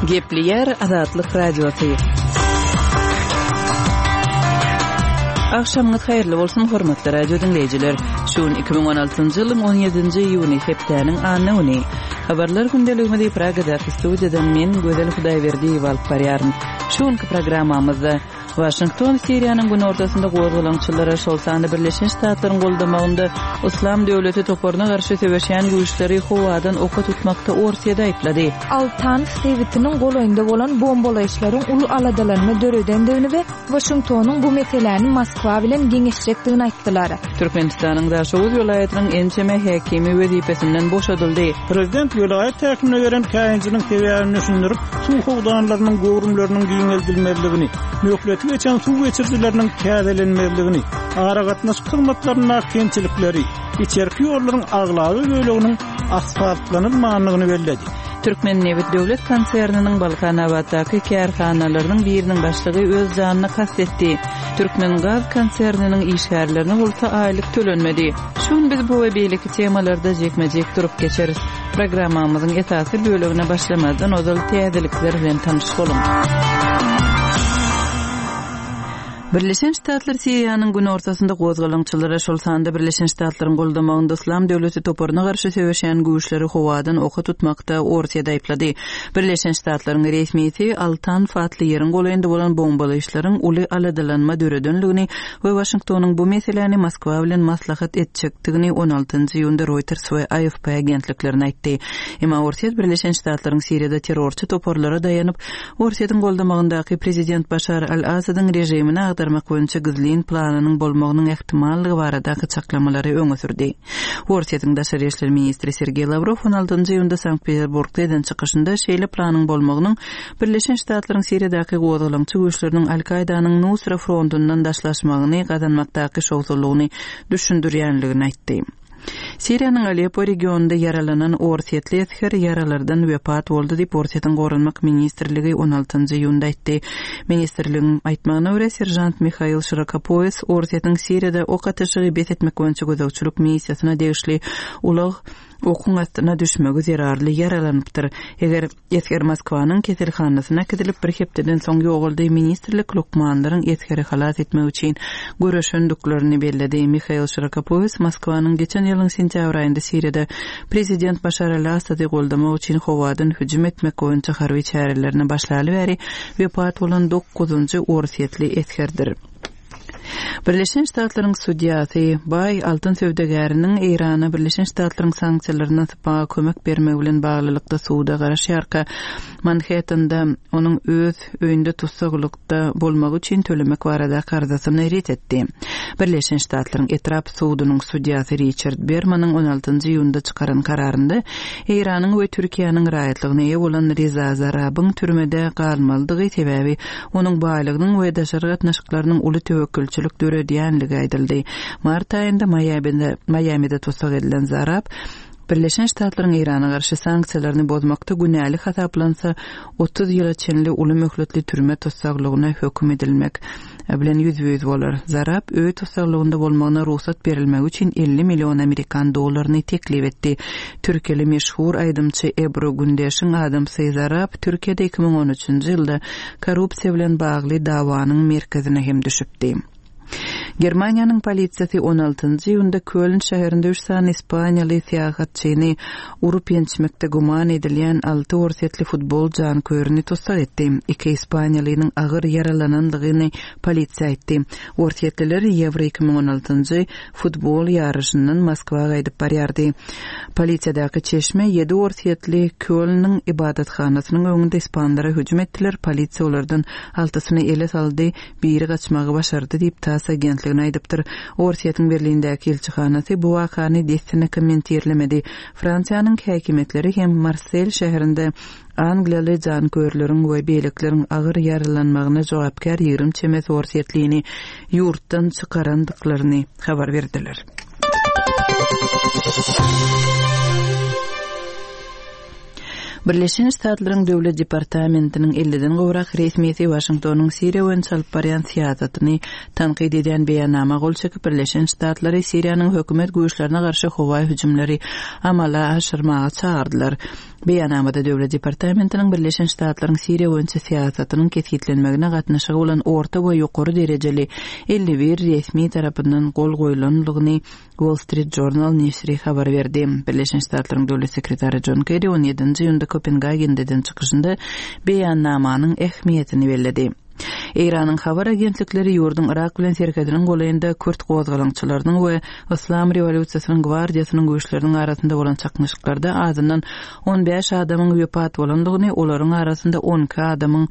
Gepleýär Azatlyk Radiosy. Agşamyňyz haýyrly bolsun, hormatly radio diňleýjiler. Şu gün 2016-njy ýylyň 17-nji iýuny, hepdäniň anna güni. Habarlar gündeligimizi Pragadaky studiýadan men, Gözel Hudaýberdiýewa alyp barýaryn. Şu günki programmamyzda Waşington Siriýanyň günortasynda gozgalaňçylara, şol sanda Birleşen Ştatlaryň goldamagynda Yslam döwleti toparyna garşy söweşýän güýçleri howadan oka tutmakda Orsýeti aýyplady. Al-Tanf sebitiniň golaýynda bolan bombalaýyşlaryň uly aladalanma döredendigini we Waşingtonyň bu meseläni Moskwa bilen geňeşjekdigini aýtdylar. Türkmenistanyň Daşoguz welaýatynyň ençeme häkimi wezipesinden boşadyldy. Prezident welaýat häkimine beren käýinjiniň sebäbini düşündirip, suw howdanlarynyň göwrümleriniň giňeldilmezligini, möhleti geçen suw geçirijileriniň täzelenmezligini, aragatnaşyk hyzmatlaryndaky kemçilikleri, içerki ýollaryň aglaba böleginiň asfaltlanylmandygyny belledi. Türkmennebit döwlet konserniniň Balkanabatdaky kärhanalarynyň biriniň başlygy öz janyna kast etdi. Türkmengaz konserniniň işgärlerine bolsa aýlyk tölenmedi. Şu gün biz bu we beýleki temalarda jikme-jik durup geçeris. Programmamyzyň esasy bölegine başlamazdan ozal täzelikler bilen tanyş boluň. Birleşen Ştatlar Siriýanyň günortasynda gozgalaňçylara, şol sanda Birleşen Ştatlaryň goldamagynda Yslam döwleti toparyna garşy söweşýän güýçleri howadan oka tutmakda Orsýeti aýyplady. Birleşen Ştatlaryň resmisi Al-Tanf atly ýeriň golaýynda bolan bombalaýyşlaryň uly aladalanma döredenligini we Waşingtonyň bu meseläni Moskwa bilen maslahat etjekdigini on altynjy iýunda Reuters we AFP agentliklerine aýtdy. Emma Orsýet Birleşen Ştatlaryň Siriýada terrorçy toparlara daýanyp, Orsýetiň goldamagyndaky prezident Başar al-Asadyň režimini agdarmak boýunça gizlin planynyň bolmagynyň ähtimallygy baradaky çaklamalary öňe sürdi. Orsýetiň daşary işler ministri Sergeý Lawrow on altynjy iýunda Sankt-Peterburgda eden çykyşynda şeýle planyň bolmagynyň Birleşen Ştatlaryň Siriýadaky gozgalaňçy güýçleriniň Al-Kaýdanyň Nusra frontundan daşlaşmagyny gazanmakdaky şowsuzlygyny düşündirýänligini aýtdy. Siriýanyň Aleppo regionynda ýaralanan orsýetli esger ýaralardan wepat boldy diýip, Orsýetiň Goranmak ministrligi on altynjy iýunda aýtdy. Ministrligiň aýtmagyna görä, seržant Mihail Şirokopoýes Orsýetiň Siriýada ok atyşygy bes etmek boýunça gözegçilik missiýasyna degişli ulag okuň astyna düşmegi zerarly ýaralanypdyr. Eger Esger Moskwanyň keselhanasyna äkidilip, bir hepdeden soň ýogaldy. Ministrlik lukmanlaryň esgeri halas etmek üçin göreşendiklerini belledi. Mihail Şirokopoýes Moskwanyň geçen ýylyň sentýabr aýynda Siriýada prezident Başar al-Assady goldamak üçin howadan hüjüm etmek boýunça harby çärelerine başlaly bäri wepat bolan dokuzynjy orsýetli esgerdir. Birleşen Ştatlaryň sudýasy, baý altyn söwdagäriniň Eýrana Birleşen Ştatlaryň sanksiýalaryndan sypmaga kömek bermegi bilen baglylykda suda garaşýarka, Manhettende onuň öz öýünde tussaglykda bolmagy üçin tölemek baradaky arzasyny ret etdi. Birleşen Ştatlaryň etrap sudunyň sudýasy Riçard Bermanyň on altynjy iýunda çykaran kararynda Eýranyň we Türkiýäniň raýatlygyna eýe bolan Reza Zarabyň türmede galmalydygy, sebäbi Onuň baýlygynyň we daşary gatnaşyklarynyň uly töwekgelçilik döredýänligi aýdyldy. Mart aýynda Maýamide Maýamide tussag edilen Zarab Birleşen Ştatlaryň Eýrana garşy sanksiýalaryny bozmakda günäli hasaplansa, 30 ýyla çenli uly möhletli türme tussaglygyna höküm edilmek bilen ýüzbe-ýüz bolar. Zarab öý tussaglygynda bolmagyna rugsat berilmegi üçin 50 million amerikan dollaryny teklip etdi. Türkiýeli meşhur aýdymçy Ebru Gündeşiň adamsy Zarab Türkiýede 2013-nji ýylda korrupsiýa bilen bagly dawanyň merkezine hem düşüpdi. Germaniýanyň polisiýasy on altynjy iýunda Köln şäherinde üç sany ispaniýaly syýahatçyny urup-ýençmekde güman edilýän alty orsýetli futbol janköýerini tussag etdi. Iki ispaniýalynyň agyr ýaralanandygyny polisiýa aýtdy. Orsýetliler Ýewro 2016-njy futbol ýaryşyndan Moskwa gaýdyp barýardy. Polisiýadaky çeşme ýedi orsýetli Kölnüň ybadathanasynyň öňünde ispanlara hüjüm etdiler, polisiýa olardan altysyny ele saldy, biri gaçmagy başardy diýip, TASS agentligine aýdypdyr. Orsýetiň Berlindäki ilçihanasy bu wakany dessine kommentirlemedi. Fransiýanyň häkimiýetleri hem Marsel şäherinde Angliýaly janköýerleriň we beýlekileriň agyr ýaralanmagyna jogapkär 20 çemesi orsýetlini ýurtdan çykarandyklaryny habar berdiler. Birleşen Ştatlaryň Döwlet departamentiniň elliden gowrak resmisi Waşingtonyň Siriýa boýunça alyp barýan syýasatyny tankyt edýän beýannama gol çekip, Birleşen Ştatlary Siriýanyň hökümet güýçlerine garşy howa hüjümleri amala aşyrmaga çagyrdylar. Beýannamada Döwlet departamentiniň Birleşen Ştatlaryň Siriýa boýunça syýasatynyň kesgitlenmegine gatnaşygy bolan orta we ýokary derejeli 51 resmi tarapyndan gol goýlandygyny Wall Street Journal neşiri habar berdi. Birleşen Ştatlaryň Döwlet sekretary Jon Kerri on ýedinji iýunda Kopengagende eden çykyşynda beýannamanyň ähmiýetini belledi. Eýranyň habar agentlikleri ýurduň Yrak bilen serhediniň golaýynda kürt gozgalaňçylarynyň we Yslam rewolýusiýasynyň gwardiýasynyň güýçleriniň arasynda bolan çaknyşyklarda azyndan 15 adamyň wepat bolandygyny, olaryň arasynda 12 adamyň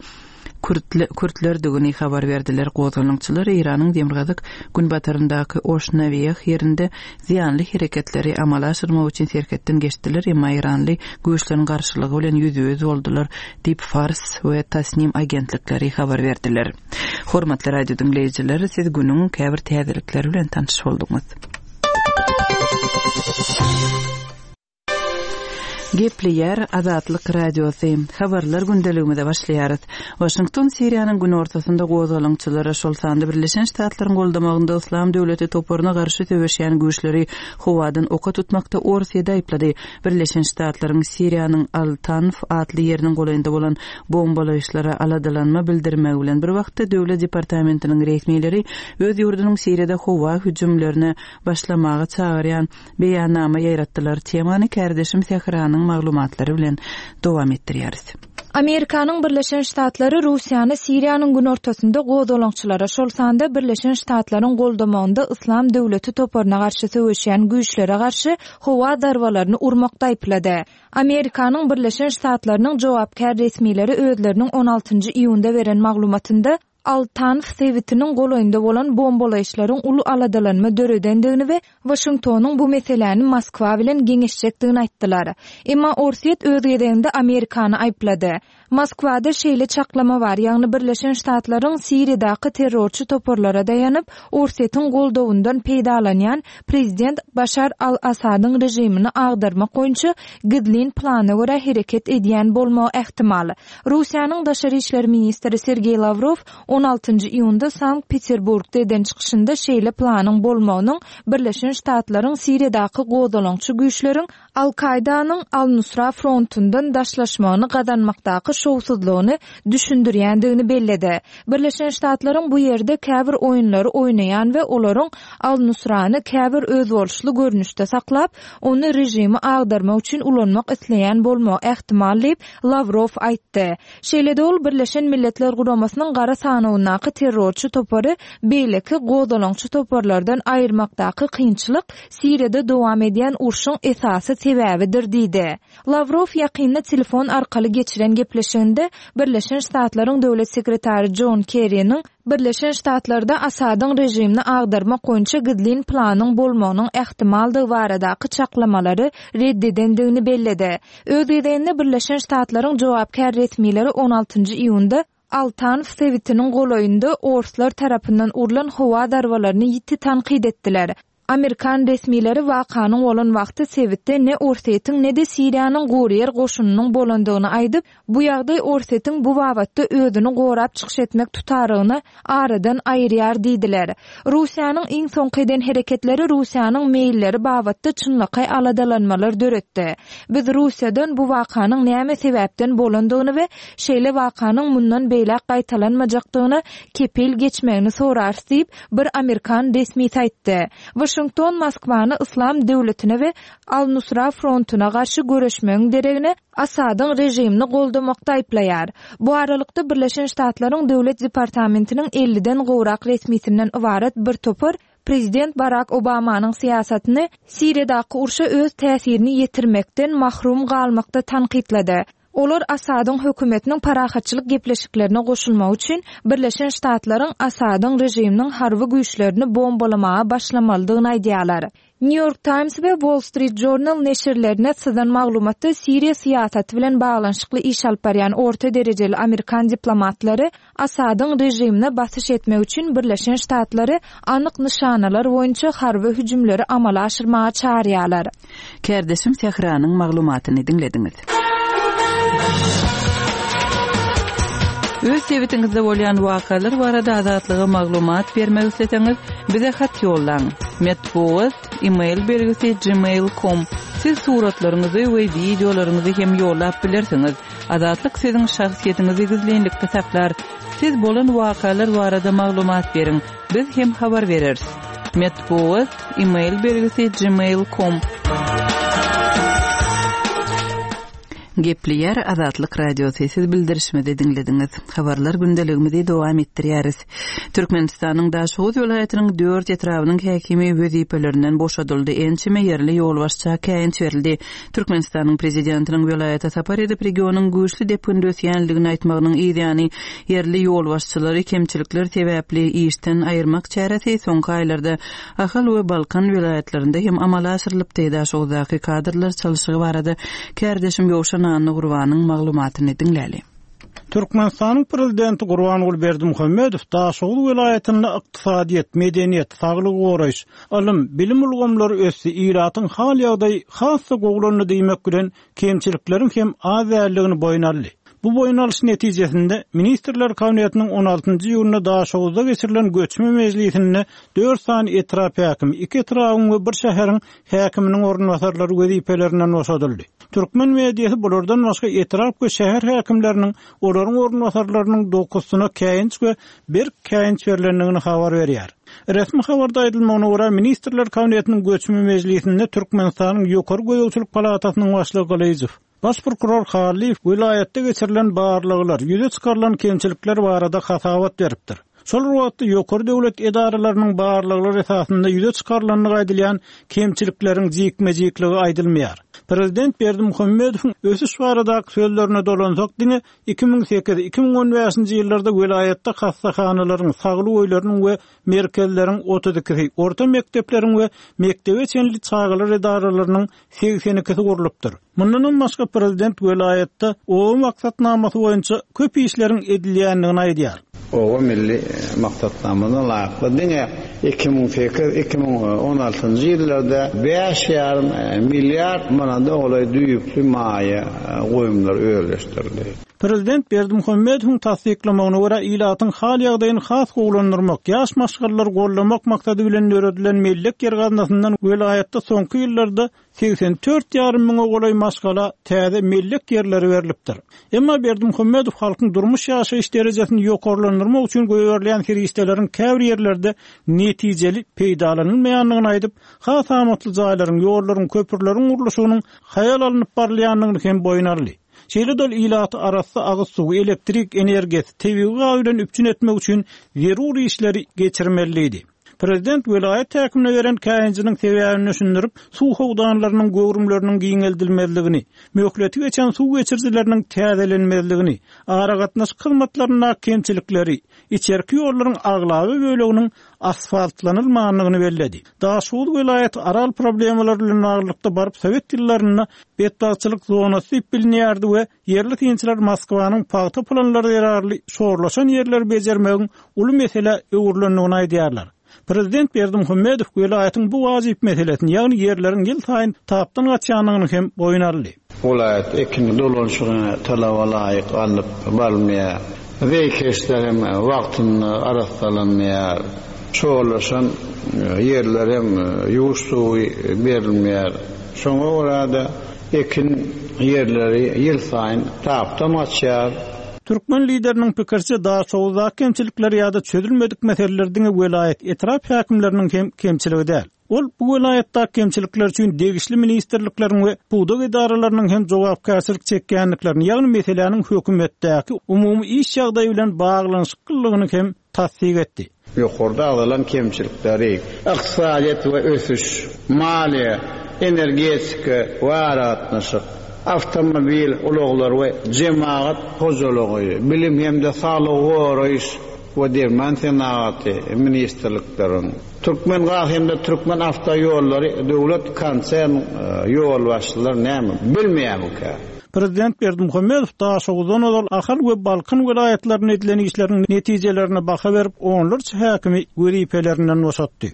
kürtlerdigini habar berdiler. Gozgalaňçylar Eýranyň demirgazyk günbataryndaky Oşnawiýeh ýerinde zyýanly hereketleri amala aşyrmak üçin serhetden geçdiler, emma eýranly güýçleriň garşylygy bilen ýüzbe-ýüz boldular diýip, Fars we Tasnim agentlikleri habar berdiler. Hormatly radio diňleýjiler, siz günüň käbir täzelikleri bilen tanyş bolduňyz. Gepleýär Azatlyk Radiosy. Habarlar gündeligimize başlaýarys. Waşington Siriýanyň günortasynda gozgalaňçylara, şol sanda Birleşen Ştatlaryň goldamagynda Yslam döwleti toparyna garşy söweşýän güýçleri howadan oka tutmakda Orsýeti aýyplady. Birleşen Ştatlaryň Siriýanyň Al-Tanf atly ýeriniň golaýynda bolan bombalaýyşlara aladalanma bildirmegi bilen bir wagtda Döwlet departamentiniň resmileri öz ýurdunyň Siriýada howa hüjümlerine başlamaga çagyrýan beýannama ýaýratdylar. Temany kärdeşim Sähranyň maglumatlary bilen dowam etdirýäris. Amerikanyň Birleşen Ştatlary Russiýany Siriýanyň günortasynda gozgalaňçylara, şol sanda Birleşen Ştatlaryň goldamagynda Yslam döwleti toparyna garşy söweşýän güýçlere garşy howa zarbalaryny urmakda aýyplady. Amerikanyň Birleşen Ştatlarynyň jogapkär resmileri özleriniň on altynjy iýunda beren maglumatynda, Al-Tanf sebitiniň golaýynda bolan bombalaýyşlaryň uly aladalanma döredendigini we Waşingtonyň bu meseläni Moskwa bilen geňeşjekdigini aýtdylar. Emma Orsýet öz gezeginde Amerikany aýyplady. Moskwada şeýle çaklama bar, ýagny Birleşen Ştatlaryň Siriýadaky terrorçy toparlara daýanyp, Orsýetiň goldawyndan peýdalanýan prezident Başar al-Assadyň režimini agdarmak boýunça gizlin plana görä hereket edýän bolmagy ähtimal. Russiýanyň daşary işler ministri Sergeý Lawrow on altynjy iýunda Sankt-Peterburgda eden çykyşynda şeýle planyň bolmagynyň Birleşen Ştatlaryň Siriýadaky gozgalaňçy güýçleriň Al-Kaýdanyň Al-Nusra frontundan daşlaşmagyny gazanmakdaky şowsuzlygyny düşündirýändigini belledi. Birleşen Ştatlaryň bu ýerde käbir oýunlary oýnaýan we olaryň Al-Nusrany käbir özboluşly görnüşde saklap, ony režimi agdarmak üçin ulanmak isleýän bolmagy ähtimal diýip, Lawrow aýtdy. Şeýle-de ol Birleşen Milletler Guramasynyň gara sanawyndaky terrorçy topary beýleki gozgalaňçy toparlardan aýyrmakdaky kynçylyk Siriýada dowam edýän urşuň esasy sebäbidir diýdi. Lawrow ýakynda telefon arkaly geçiren gepleşiginde Birleşen Ştatlaryň Döwlet sekretary Jon Kerriniň Birleşen Ştatlarda Asadyň režimini agdarmak boýunça gizlin planyň bolmagynyň ähtimaldygy baradaky çaklamalary red edendigini belledi. Öz gezeginde Birleşen Ştatlaryň jogapkär resmileri on altynjy iýunda Al-Tanf sebitiniň golaýynda orslar tarapyndan urlan howa zarbalaryny ýiti tankyt etdiler. Amerikan resmileri wakanyň bolan wagty sebitde ne Orsýetiň, ne-de Siriýanyň guryýer goşunynyň bolandygyny aýdyp, bu ýagdaý Orsýetiň bu babatda özüni gorap çykyş etmek tutarygyny aradan aýyrýar diýdiler. Russiýanyň iň soňky eden hereketleri Russiýanyň meýilleri babatda çynlakaý aladalanmalar döretdi. Biz Russiýadan bu wakanyň näme sebäpden bolandygyny we şeýle wakanyň mundan beýläk gaýtalanmajakdygyna kepil geçmegini sorarys diýip, bir amerikan resmisi aýtdy. Waşington Moskwany Yslam döwletine we Al-Nusra frontuna garşy göreşmegiň deregine Assadyň režimini goldamakda aýyplaýar. Bu aralykda, Birleşen Ştatlaryň Döwlet departamentiniň elliden gowrak resmisinden ybarat bir topar prezident Barak Obamanyň syýasatyny Siriýadaky urşa öz täsirini ýetirmekden mahrum galmakda tankytlady. Olar Asadyň hökümetiniň parahatçylyk gepleşiklerine goşulmagy üçin Birleşen Ştatlaryň Asadyň režiminiň harby güýçlerini bombalamaga başlamalydygyny aýdýarlar. New York Times we Wall Street Journal neşirlerine syzan maglumatda Siriýa syýasaty bilen baglanyşykly iş alyp barýan orta derejeli amerikan diplomatlary Asadyň režimine basyş etmek üçin Birleşen Ştatlary anyk nyşanalar boýunça harby hüjümleri amala aşyrmaga çagyrýarlar. Kärdeşim Sähranyň maglumatyny diňlediňiz. Öz sebitiňizde bolýan wakalar barada Azatlyga maglumat bermek isleseňiz, bize hat ýollaň. Metbugat, e-mail belgisi gmail com. Siz suratlaryňyzy we wideolaryňyzy hem ýollap bilersiňiz. Azatlyk siziň şahsyýetiňizi gizlinlikde saklar. Siz bolan wakalar barada maglumat beriň, biz hem habar bereris. Metbugat, e-mail belgisi gmail com. Gepleýär Azatlyk Radiosy, siz bildirişimizi diňlediňiz. Habarlar gündeligimizi dowam etdirýäris. Türkmenistanyň Daşoguz welaýatynyň dört etrabynyň häkimi wezipelerinden boşadyldy, ençeme ýerli ýolbaşça käýinç berildi. Türkmenistanyň Prezidentiniň welaýata sapar edip, regionyň güýçli depginde ösýändigini aýtmagynyň yzýany, ýerli ýolbaşçylary kemçilikler sebäpli işden aýyrmak çäresi soňky aýlarda Ahal we Balkan welaýatlarynda hem amala aşyrylypdy. Daşoguzdaky kadrlar çalşygy barada kärdeşim Ýowşan Annagurbanyň maglumatyny diňläli. Türkmenistanyň Prezidenti Gurbanguly Berdimuhamedow Daşoguz welaýatynda ykdysadyýet, medeniýet, saglygy goraýyş, ylym, bilim ulgamlary ösdi, ilatyň hal-ýagdaýy has-da gowulandy diýmek bilen, kemçilikleriň hem az däldigini boýun aldy. Bu boýun alyş netijesinde, Ministrler Kabinetiniň on altynjy iýunda Daşoguzda geçirilen göçme mejlisinde dört sany etrap häkimi, iki etrabyň we bir şäheriň häkiminiň orunbasarlary wezipelerinden boşadyldy. Türkmen mediasy bulardan başga etrap we şäher häkimleriniň, olaryň orunbasarlarynyň dokuzysyna käýinç we berk käýinç berlendigini habar berýär. Resmi habarda aýdylmagyna görä, Ministrler Kabinetiniň göçme mejlisinde Türkmenistanyň Ýokary gözegçilik palatasynyň başlygy Gylyjow, Baş prokuror Hallyýew welaýatda geçirilen barlaglar, ýüze çykarylan kemçilikler barada hasabat beripdir. Şol bir wagtda, ýokary döwlet edaralarynyň barlaglary esasynda ýüze çykarylandygy aýdylýan kemçilikleriň jikme-jikligi aýdylmaýar. Prezident Berdimuhamedowyň ösüş baradaky sözlerine dolansak, diňe 2008, 2015-nji ýyllarda welaýatda hassahanalaryň, saglyk öýleriniň we merkezleriň otuz ikisi, orta mekdepleriň we mekdebe çenli çagalar edaralarynyň segsen ikisi gurlupdyr. Mundanam başga prezident welaýatda oba maksatnamasy boýunça köp işleriň edilýändigini aýdýar. Oba milli maksatnamasyna laýyklykda diňe 2008, 2016-njy ýyllarda bäş ýarym milliard manada golaý düýpli maýa goýumlar özleşdirildi. Prezident Berdimuhamedowyň tassyklamagyna görä, ilatyň hal-ýagdaýyny has gowulandyrmak, ýaş maşgalalary goldamak maksady bilen döredilen mellek ýer gaznasyndan welaýatda soňky ýyllarda 84 ýarym müňe golaý maşgala täze mellek ýerleri berlipdir. Emma Berdimuhamedow halkyň durmuş-ýaşaýyş derejesini ýokarlandyrmak üçin goýberilýän serişdeleriň käbir ýerlerde netijeli peýdalanylmaýandygyny aýdyp, has amatly jaýlaryň, ýollaryň, köprüleriň gurluşygynyň haýal alnyp barylýandygyny hem boýun aldy. Şeýle-de ol ilaty arassa agyz suwy, elektrik energiýasy, tebigy gaz bilen üpjün etmek üçin zerur işleri geçirmeli diýdi. Prezident welaýat häkimine beren käýinjiniň sebäbini düşündirip, suw howdanlarynyň göwrümleriniň giňeldilmezligini, möhleti geçen suw geçirijileriniň täzelenmezligini, aragatnaşyk hyzmatlaryndaky kemçilikleri, içerki ýollaryň aglaba böleginiň asfaltlanylmandygyny belledi. Daşoguz welaýaty Aral problemalary bilen baglylykda baryp sowet ýyllarynda betbagtçylyk zonasy diýip bilinýärdi we ýerli synçylar Moskwanyň pagta planlary zerarly şorlaşan ýerleri bejermegiň uly meselä öwrülendigini aýdýarlar. Prezident Berdimuhamedow welaýatyň bu wajyp meselesini, ýagny ýerleriň ýylsaýyn tapdan gaçýandygyny hem boýun aldy. Welaýat ekin dolanyşygyna talaba laýyk alnyp barylmaýar. Zeýkeşler hem wagtynda arassalanmaýar. Şorlaşan ýerler hem ýuwuş suwy berilmeýär. Şoňa görä-de, ekin ýerleri ýylsaýyn tapdan gaçýar. Türkmen lideriniň pikiriçe, Daşoguzdaky kemçilikler ýa-da çözülmedik meseleler diňe welaýat, etrap häkimleriniň hem kemçiligi däl. Ol bu welaýatdaky kemçilikler üçin degişli ministrlikleriň we pudak edaralarynyň hem jogapkärçilik çekýändiklerini, ýagny meseläniň hökümetdäki umumy iş ýagdaýy bilen baglanyşyklylygyny hem tassyk etdi. Ýokarda agzalan kemçilikleri ykdysadyýet we ösüş, maliýe, energetika we aragatnaşyk, awtomobil ulaglary we jemagat hojalygy, bilim hem-de saglygy goraýyş we derman senagaty ministrlikleriň, Türkmengaz hem-de Türkmenawtoýollary döwlet konsern ýolbaşçylary näme bilmeýärmikä? Prezident Berdimuhamedow Daşoguzdan ozal Ahal we Balkan welaýatlarynda edilen işleriň netijelerine baha berip, onlarça häkimi wezipelerinden boşatdy.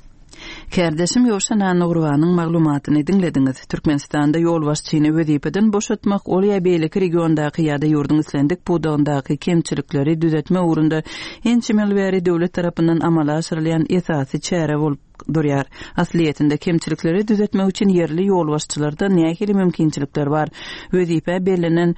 Kärdeşim Ýowşan Annagurbanyň maglumatyny diňlediňiz. Türkmenistanda ýolbaşçyny wezipeden boşatmak, ol ýa beýleki regiondaky ýa-da ýurduň islendik pudagyndaky kemçilikleri düzetmek ugrunda ençeme ýyl bäri döwlet tarapyndan amala aşyrylýan esasy çäre bolup durýar. Aslyýetinde, kemçilikleri düzetmek üçin ýerli ýolbaşçylarda nähili mümkinçilikler bar? Wezipä bellenen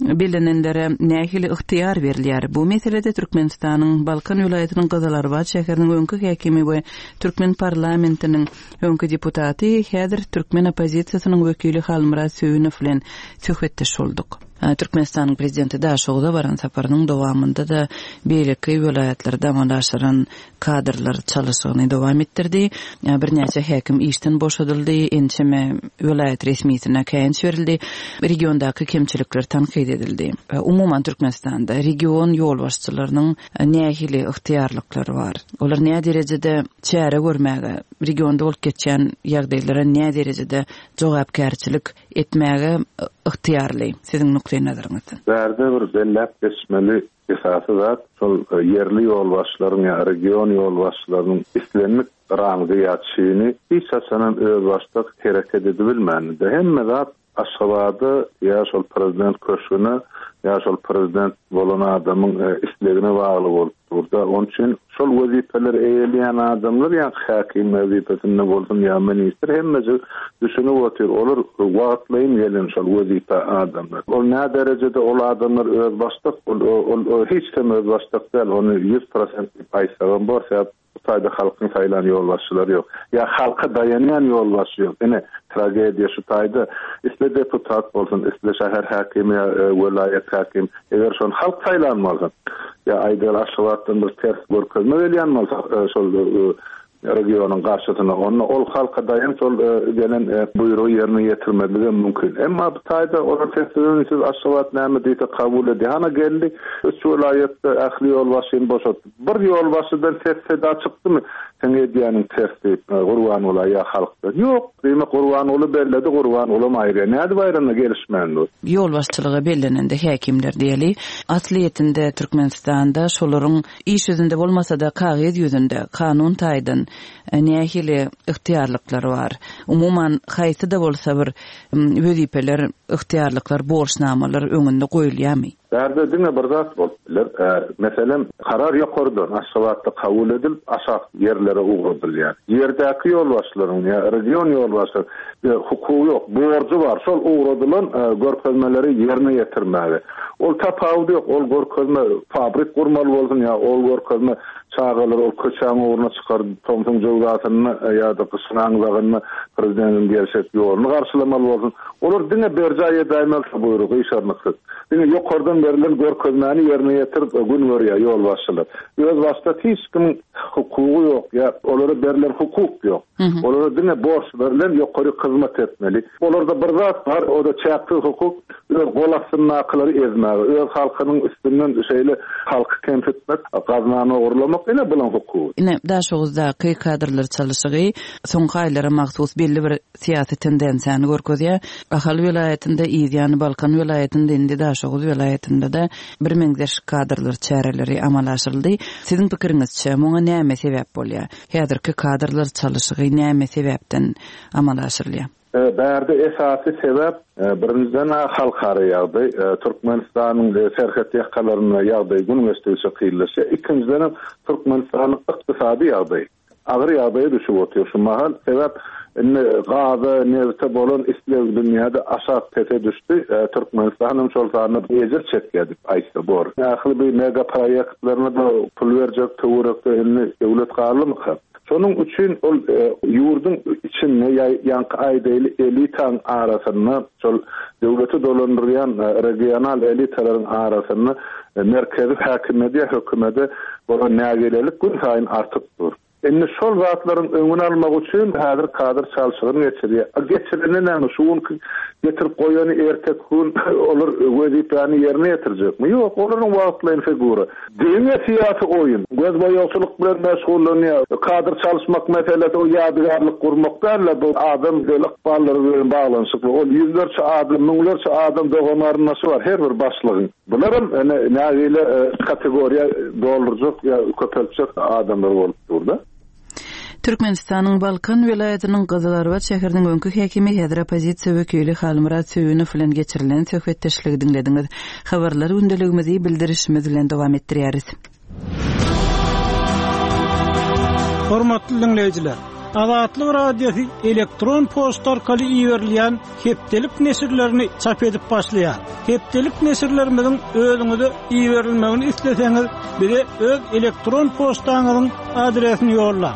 bellenenlere nähili ygtyýar berilýär? Bu meselede Türkmenistanyň Balkan welaýatynyň Gyzylarbat şäheriniň öňki häkimi we türkmen parlamentiniň öňki deputaty, häzir türkmen oppozisiýasynyň wekili Halmyrat Söýünow bilen söhbetdeş bolduk. Türkmenistanyň Prezidenti Daşoguza baran saparynyň dowamynda-da beýleki welaýatlarda amala aşyran kadrlar çalyşygyny dowam etdirdi. Birnäçe häkim işden boşadyldy, ençeme welaýat resmisine käýinç berildi, regiondaky kemçilikler tankyt edildi. Umuman, Türkmenistanda region ýolbaşçylarynyň nähili ygtyýarlyklary bar? Olar näderejede çäre görmäge, regionda bolup geçýän ýagdaýlara näderejede jogapkärçilik etmäge ygtyýarly, siziň nukdaýnazaryňyzdan? Bärde bir belläp geçmeli Esasy zat, şol ýerli ýolbaşçylaryň ýa region ýolbaşçylarynyň islendik rangy ýa çini hiç haçanam özbaşdak hereket edibilmändir. Hemme zat Aşgabada ýa şol prezident köşgüne ýa şol prezident bolan adamyň islegine bagly bolup dur-da. Onuň üçin Şol wezipeleri eýeleýän adamlar ýaňky häkim wezipesinde bolsun ýa ministr hemmejik düşünip otyr olar wagtlaýyn gelen şol wezipä adamlar. Ol nä derejede ol adamlar özbaşdak ol ol hiç hem özbaşdak däl ony 100% diýip aýtsagam bor sebäp bu taýda halkyň saýlan ýolbaşçylary ýok. Ýa halka daýanýan ýolbaşçy ýok. Ine tragediýa şu taýda isle deputat bolsun isle şäher häkimi ýa welaýat häkim Eger şony halk saýlan bolsa, ýa aýdaly Aşgabatdan bir ters görkezme gelýän bolsa şol regionyň garşysyna, onda ol halka daýanç ol gelen buýrugy ýerine ýetirmezligem mümkin. Emma bu taýda olar sessiz-üýnsüz Aşgabat näme diýse kabul edýär. Hana geldi, üç welaýatda ähli ýolbaşçyny boşatdy. Bir ýolbaşçydan ses-seda çykdymy, seň edýäniň ters diýip, Gurbangula ýa halkdan? Ýok. Diýmek, Gurbanguly belledi, Gurbangulam aýyrýar. Nädip aýranda gelişmän dur? Ýolbaşçylyga bellenende häkimler diýeli, aslyýetinde Türkmenistanda şolaryň iş ýüzünde bolmasa-da kagyz ýüzünde kanun taýdan nähili ygtyýarlyklary bar? Umuman, haýsy-da bolsa bir wezipeler, ygtyýarlyklar, borçnamalar öňünde goýulýarmy? Bärde diňe bir zat bolup biler. Meselem, karar ýokardan, Aşgabatda kabul edilip, aşak ýerlere ugradylýar. Ýerdäki ýolbaşçylaryň ýa region ýolbaşçylaryň hukugy ýok, borjy bar, şol ugradylan görkezmeleri ýerine ýetirmäge. Ol tapawudy ýok, ol görkezme fabrik gurmaly bolsun ýa ol görkezme çagalary ol köçäň ugruna çykaryp, tomsuň jöwzasynda ýa-da gyşyň aňzagynda prezidentiň gelşek ýoluny garşylamaly bolsun. Olar diňe berjaý edäýmeli şo buýrugy gyşarnyksyz. Diňe ýokardan berlen görkezmäni ýerine ýetirip gün görýär ýolbaşçylar. Özbaşdak hiç kimiň hukugy ýok ýa olara berlen hukuk ýok. Olara diňe borç berlen ýokaryk hyzmat etmeli. Olarda bir zat bar, o-da çäksiz hukuk, öz gol astyndakylary ezmäge, öz halkynyň üstünden şeýle halky kemsitmek, gaznany ogurlamak, ine bulaň hukugy. Ine, Daşoguzdaky kadrlar çalyşygy soňky aýlara mahsus belli bir syýasy tendensiýany görkezýär. Ahal welaýatynda, yzýany Balkan welaýatynda, indi Daşoguz welaýatynda-da birmeňzeş kadrlar çäreleri amala aşyryldy. Siziň pikiriňizçe, muňa näme sebäp bolýar? Häzirki kadrlar çalyşygy näme sebäpden amala aşyrylýar? Bärde esasy sebäp, birinjiden-ä halkara ýagdaý. Türkmenistanyň serhet ýakalarynda ýagdaý gün geçdigiçe kynlaşýar. Ikinjidenem Türkmenistanyň ykdysady ýagdaýy. Agyr ýagdaýa düşüp otyr şu mahal. Sebäp indi gaza, nebite bolan isleg dünýäde aşak pese düşdi. Türkmenistan hem şol sanda ejir çekýär diýip aýtsa bor. Ähli bu mega proýektlerine-de pul berjek töwerekde indi döwlet galdymyka? Şonuň üçin ol ýurduň içinde ýa ýaňky aýdaýly elitaň arasynda şol döwleti dolandyrýan regional elitalaryň arasynda merkezi häkimiýete ýa hökümete bolan nägilelik günsaýyn artyp dur. Indi şol zatlaryň öňüni almak üçin häzir kadr çalşygyny geçirýär. A geçirende näme, şu günki getirip goýany erteki gün olar wezipäni ýerine ýetirjekmi? Ýok, olaryň wagtlaýyn figura. Diňe syýasy oýun. Gözboýagçylyk bilen meşgullanýar. Kadr çalyşmak meselesi ol ýadygärlik gurmak däl-de, bu adam del ykballary bilen baglanyşykly. Ol ýüzlerçe adam, müňlerçe adam dogan-garyndaşy bar her bir başlygyň. Bularam ine nägile kategoriýa doldurjak ýa köpeltjek adamlar bolup dur-da. Türkmenistanyň Balkan welaýatynyň Gyzylarbat şäheriniň öňki häkimi, häzir oppozisiýa wekili Halmyrat Söýünow bilen geçirilen söhbetdeşligi diňlediňiz. Habarlar gündeligimizi bildirişimiz bilen dowam etdirýäris. Hormatly diňleýjiler! Azatlyk Radiosy elektron poçta arkaly iberilýän hepdelik neşirlerini çap edip başlaýar. Hepdelik neşirlerimiziň özüňize iberilmegini isleseňiz, bize öz elektron poçtaňyzyň adresini ýollaň.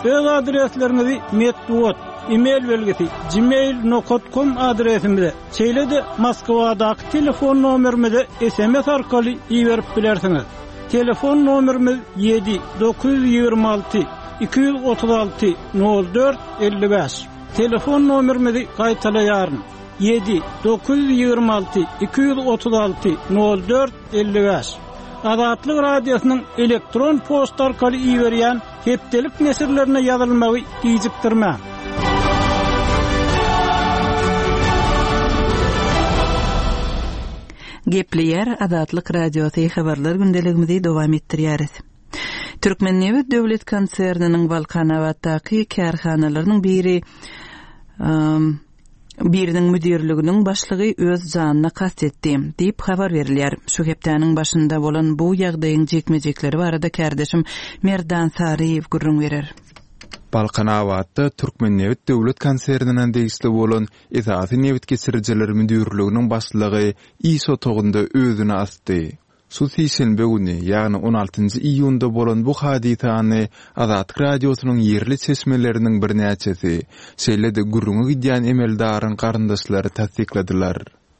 Öz adresleriňizi metbugat, e-mail belgisi, gmail nokat kom adresimize, şeýle-de Moskwadaky telefon nomerimize sms arkaly iberip bilersiňiz. Telefon nomerimiz ýedi, 926 236 04 55. Telefon nomerimizi gaýtalaýaryn, ýedi, 926 236 04 55. Azatlyk Radiosynyň elektron poçta arkaly iberýän hepdelik neşirlerine ýazylmagy gijikdirmäň. Gepleýär Azatlyk Radiosy habarlar gündeligimizi dowam etdirýäris. Türkmennebit döwlet konserniniň Balkanabatdaky kärhanalarynyň biri biriniň müdirliginiň başlygy öz janyna kast etdi, diýip habar berilýär. Şu hepdäniň başynda bolan bu ýagdaýyň jikme-jikleri barada kärdeşim Merdan Saryýew gürrüň berer. Balkanabatda Türkmennebit döwlet konsernine degişli bolan Esasy nebit geçirijiler müdirliginiň başlygy iş otagynda özüni asdy. Şu sişenbe güni, ýagny on altynjy iýunda bolan bu hadysany Azatlyk Radiosynyň ýerli çeşmeleriniň birnäçesi, şeýle-de gürrüňi gidýän emeldaryň garyndaşlary tassykladylar.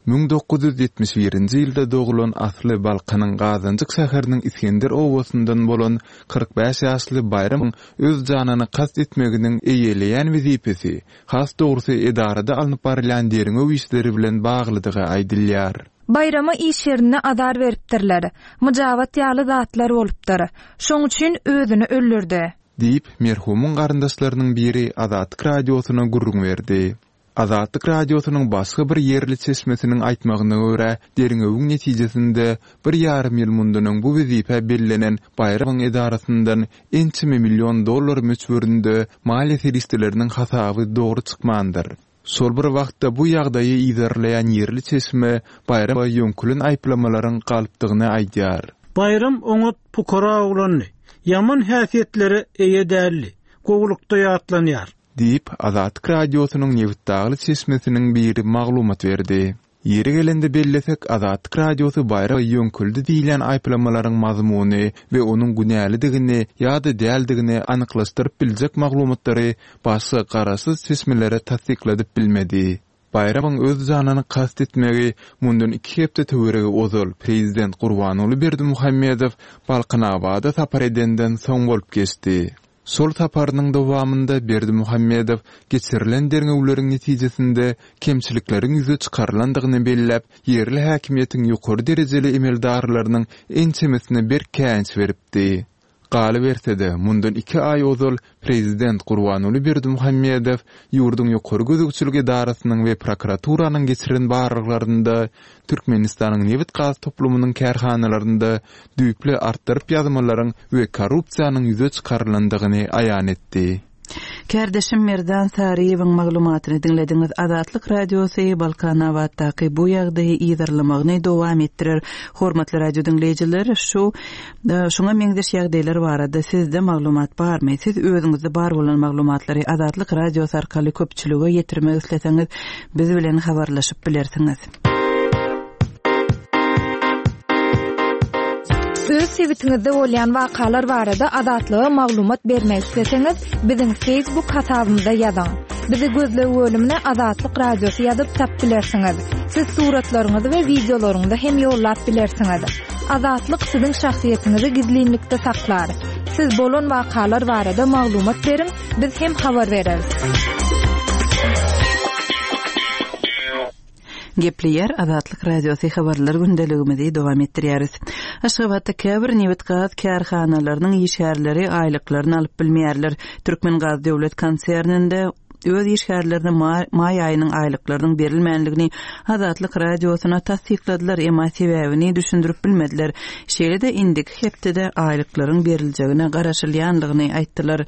1971-nji ýylda doglan asly Balkanyň Gazanjyk şäheriniň Isgender obasyndan bolan 45 ýaşly Baýramyň öz janyna kast etmeginiň eýeleýän wezipesi, has dogrusy edarada alnyp barylýan derňew işleri bilen baglydygy aýdylýar. Baýrama iş ýerinde azar beripdirler. Myjabat ýaly zatlar bolupdyr. Şoň üçin özüni öldürdi. Diýip, merhumyň garyndaşlarynyň biri Azatlyk Radiosyna gürrüň berdi. Azatlyk Radiosynyň başga bir ýerli çeşmesiniň aýtmagyna görä, derňewiň netijesinde bir ýarym ýyl mundan öň bu wezipä bellenen Baýramowyň edarasyndan ençeme million dollar möçberinde maliýe serişdeleriniň hasaby dogry çykmandyr. Şol bir wagtda bu ýagdaýy yzarlaýan ýerli çeşme Baýramowa ýöňkülen aýyplamalaryň galpdygyny aýdýar. Baýram oňat pukara oglandy. Ýaman häsiýetlere eýe däldi. Gowulykda ýatlanýar. Diýip, Azatlyk Radiosynyň nebitdagly çeşmesiniň biri maglumat berdi. Ýeri gelende bellesek, Azatlyk Radiosy Baýramowa ýöňküldi diýilýän aýyplamalaryň mazmuny we onuň günälidigini ýa-da däldigini anyklaşdyryp biljek maglumatlary başga garaşsyz çeşmelere tassykladyp bilmedi. Baýramowyň öz janyna kast etmegi mundan iki hepde töweregi ozal prezident Gurbanguly Berdimuhamedow Balkanabada sapar edenden soň bolup geçdi. Şol saparynyň dowamynda Berdimuhamedow geçirilen derňewleriň netijesinde kemçilikleriň ýüze çykarylandygyny belläp, ýerli häkimiýetiň ýokary derejeli emeldarlarynyň ençemesine berk käýinç beripdi. Galyberse-de, mundan iki aý ozal prezident Gurbanguly Berdimuhamedow ýurduň ýokary gözegçilik edarasynyň we prokuraturanyň geçiren barlaglarynda Türkmenistanyň nebit-gaz toplumynyň kärhanalarynda düýpli artdyryp ýazmalaryň we korrupsiýanyň ýüze çykarylandygyny aýan etdi. Kärdeşim Merdan Saryýewiň maglumatyny diňlediňiz. Azatlyk Radiosy Balkanabatdaky bu ýagdaýy yzarlamagyny dowam etdirer. Hormatly radio diňleýjiler, şu şuňa meňzeş ýagdaýlar barada sizde maglumat barmy? Siz özüňizde bar bolan maglumatlary Azatlyk Radiosy arkaly köpçülige ýetirmek isleseňiz, biz bilen habarlaşyp bilersiňiz. Öz sebitiňizde bolýan wakalar barada Azatlyga maglumat bermek isleseňiz, biziň Facebook hasabymyza ýazyň. Bizi gözleg bölümine Azatlyk Radiosy ýazyp tap bilersiňiz. Siz suratlaryňyzy we wideolaryňyzy hem ýollap bilersiňiz. Azatlyk siziň şahsyýetiňizi gizlinlikde saklar. Siz bolan wakalar barada maglumat beriň, biz hem habar bereris. Gepleýär Azatlyk Radiosy habarlar gündeligimizi dowam etdirýäris. Aşgabatda käbir nebit-gaz kärhanalarynyň işgärleri aýlyklaryny alyp bilmeýärler. Türkmengaz döwlet konserninde öz işgärlerine maý aýynyň aýlyklarynyň berilmänligini Azatlyk Radiosyna tassykladylar, emma sebäbini düşündirip bilmediler. Şeýle-de indiki hepdede aýlyklaryň beriljegine garaşylýanlygyny aýtdylar.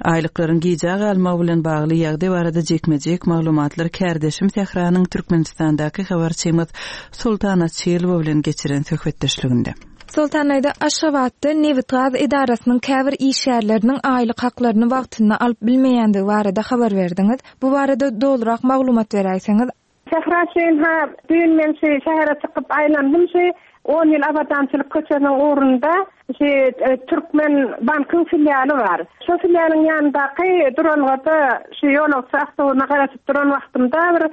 Aýlyklaryň gijä galmagy bilen bagly ýagdaý barada jikme-jik maglumatlar kärdeşim Sähranyň Türkmenistandaky habarçymyz Soltan Açylowa bilen geçiren söhbetdeşliginde. Soltan aýda Aşgabatda nebitgaz edarasynyň käbir işgärleriniň aýlyk haklaryny wagtynda alyp bilmeýändigi barada habar berdiňiz. Bu barada dolurak maglumat beräýseňiz. Sähra şeýn-ha, düýn men şu şähere çykyp aýlandym şu On ýyl Abadançylyk köçesiniň ugrunda şu Türkmen bankyň filialy bar. Şo filialyň ýanyndaky duralgada şu ýolagçy awtobusyna garaşyp duran wagtymda bir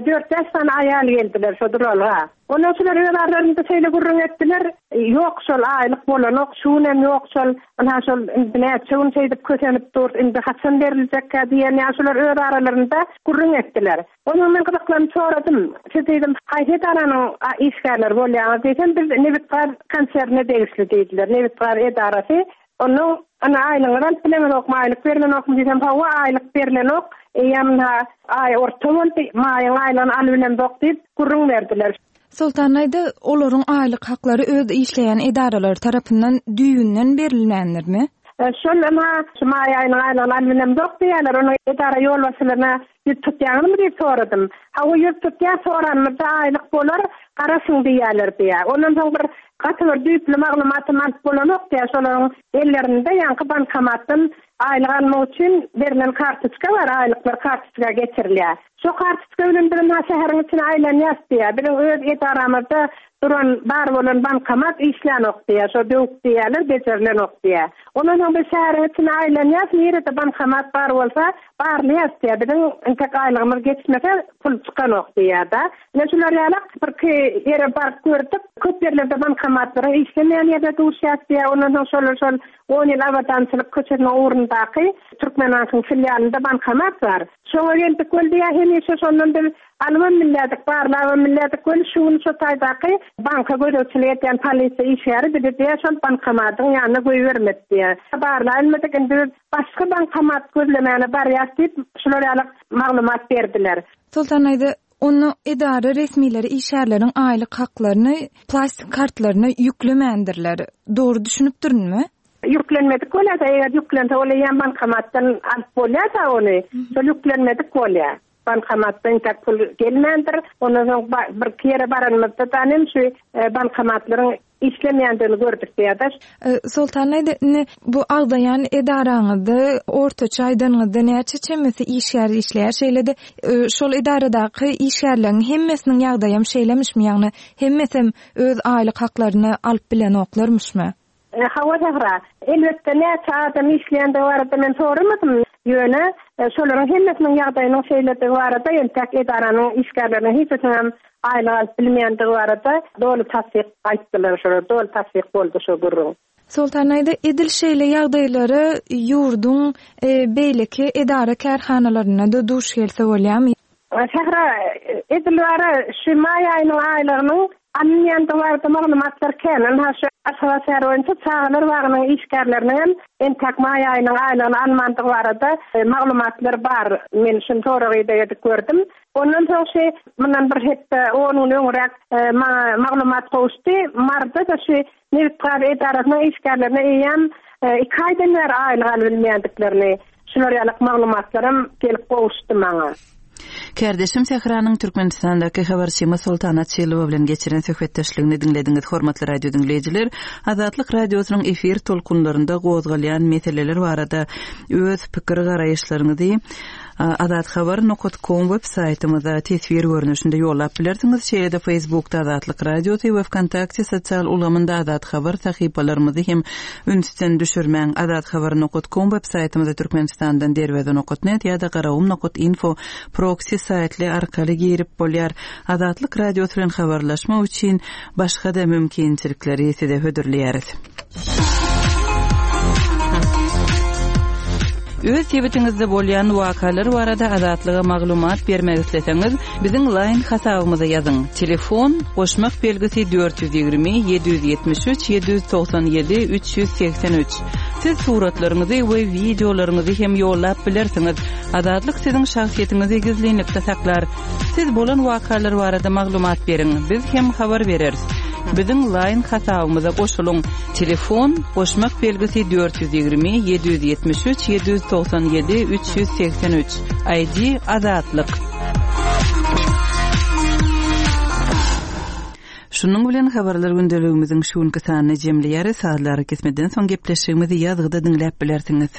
dört-bäş sany aýal geldiler şo duralga. Ondan şular öz aralarynda şeýle gürrüň etdiler, Ýok şol aýlyk bolanok, şu günem ýok şol, ynha şol indi näçe gün şeýdip kösenip durus, indi haçan beriljekkä diýen ýaly şular öz aralarynda gürrüň etdiler. Ondan men gyzyklanyp soradym, Siz diýdim, haýsy edaranyň işgärleri bolýaňyz diýsem, biz nebitgaz konsernine degişli diýdiler, nebitgaz edarasy. Onnoň, Ynha, aýlygyňyzy alyp bileňizokmy, aýlyk berlenokmy diýsem, hawa, aýlyk berlenok, eýýäm ynha, aý orta boldy, maýyň aýlygyny alybilemzok diýip, gürrüň berdiler. Soltan aýda, olaryň aýlyk haklary öz işleýän edaralary tarapyndan düýbünden berilmändirmi? Şol, ynha, şu maý aýynyň aýlygyny alybilemzok diýýärler. Onuň edara ýolbaşçylaryna Ýüz tutýaňyzmy diýip soradym. Hawa, ýüz tutýas, soranymyzda aýlyk bolar, garaşyň diýýärler diýýär. Ondan soň bir gaty bir düýpli maglumatam alyp bolanok diýýär. Şolaryň ellerinde ýaňky bankomatdan aýlyk almak üçin berlen kartoçka bar, aýlyklar kartoçka geçirilýär. Şo kartoçka bilen biz ynha şäheriň içine aýlanýas diýýär. Biziň öz edaramyzda duran, bar bolan bankomat işlänok diýýär. Şo döwük diýýärler, bejerilenok diýýär. Ondan soň biz şäheriň içine aýlanýas, nirede bankomat bar bolsa, Barlaýas diýýär, biziň entek aýlygymyz geçmese, pul çykanok diýýär-de. Ine şular ýalak birki ýere baryp gördük. Köp ýerlerde bankomatlaryň işlemeýän ýerine duşýas diýýär. Ondan soň şolar şol On ýyl Abadançylyk köçesiniň ugrundaky Türkmenbankyň filialynda bankomat bar. Şoňa geldik weli diýýär, hemişe şondan biz alybam bilýärdik, barlabam bilýärdik weli şu gün şo taýdaky banka gözegçilik edýän polisiýa işgäri bizi diýýär şol bankomatyň ýanyna goýbermedi diýýär. Barlaýylmadyk indi biz Başga bankomat gözlemäne barýas diýip, şular ýaly maglumat berdiler. Soltan daýza, onda edara resmileri işgärleriň aýlyk haklaryny plastik kartlaryna ýüklemändirler. Dogry düşünipdirinmi? Ýüklenmedik bolýa-da, eger ýüklense ol eýýäm bankomatdan alyp bolýa-da ony. Şol ýüklenmedik bolýa. Bankomatda entäk pul gelmändir. Ondan soň birki ýere baranymyzda-da hem şu bankomatlaryň işlemeýändigini gördük diýýärler. Soltan aýda, indi bu agzaýan edaraňyzda ortaça aýdanyňyzda näçe çemesi işgär işleýär? Şeýle-de şol edaradaky işgärleriň hemmesiniň ýagdaýam şeýlemişmi? Ýagny hemmesem öz aýlyk haklaryny alyp bilenoklarmyşmy? Hawa Sähra, elbetde näçe adam işleýändigi barada men soramadym, ýöne şolaryň hemmesiniň ýagdaýynyň şeýledigi barada entäk edaranyň işgärleriniň hiçisiniňem aýlyk alyp bilmeýändigi barada doly tassyk aýtdylar şolar, doly tassyk boldy şo gürrüň. Soltan aýda, edil şeýle ýagdaýlara ýurduň beýleki edara-kärhanalarynda-da duş gelse bolýarmy? Sähra, edil bara şu maý aýynyň aýlygynyň alynýandygy barada maglumatlar kän. Ynha şu Aşgabat şäheri boýunça çagalar bagynyň işgärleriniňem entäk maý aýynyň aýlygyny almandygy barada maglumatlar bar. Men şuny sorag-ideg edip gördüm. Ondan soň şu mundan bir hepde, on gün öňräk maňa maglumat gowuşdy. Maryda-da şu Nebitgaz edarasynyň işgärlerine eýýäm iki aýdan bäri aýlyk alybilmeýändiklerini, şular ýalyk maglumatlaram gelip gowuşdy maňa. Kärdeşim Sähranyň Türkmenistandaky habarçymyz Soltan Açylowa bilen geçiren söhbetdeşligini diňlediňiz. Hormatly radio diňleýjiler, Azatlyk Radiosynyň efir tolkunlarynda gozgalýan meseleler barada öz pikir-garaýyşlaryňyzy Azathabar nokat kom web saýtymyza teswir görnüşinde ýollap bilersiňiz. Şeýle-de Facebookda Azatlyk Radiosy we Wkontakte sosial ulgamynda Azathabar sahypalarymyzy hem ünsden düşürmäň. Azathabar nokat kom web saýtymyza Türkmenistandan Derweze nokat net ýa-da Garagum nokat info proksi saýtly arkaly girip bolýar. Azatlyk Radiosy bilen habarlaşmak üçin başga-da mümkinçilikleri size hödürleýäris. Öz sebitiňizde bolýan wakalar barada Azatlyga maglumat bermek isleseňiz, biziň Line hasabymyza ýazyň. Telefon, goşmak belgisi 420 773 797 383. Siz suratlaryňyzy we wideolaryňyzy hem ýollap bilersiňiz. Azatlyk siziň şahsyýetiňizi gizlinlikde saklar. Siz bolan wakalar barada maglumat beriň, biz hem habar bereris. Biziň Line hasabymyza goşulyň. Telefon, goşmak belgisi 420 773 797 383. ID Azatlyk. Şunuň bilen Habarlar gündeligimiziň şu günki sanyny jemleýäris. Sazly arakesmeden soň gepleşigimizi ýazgyda diňläp bilersiňiz.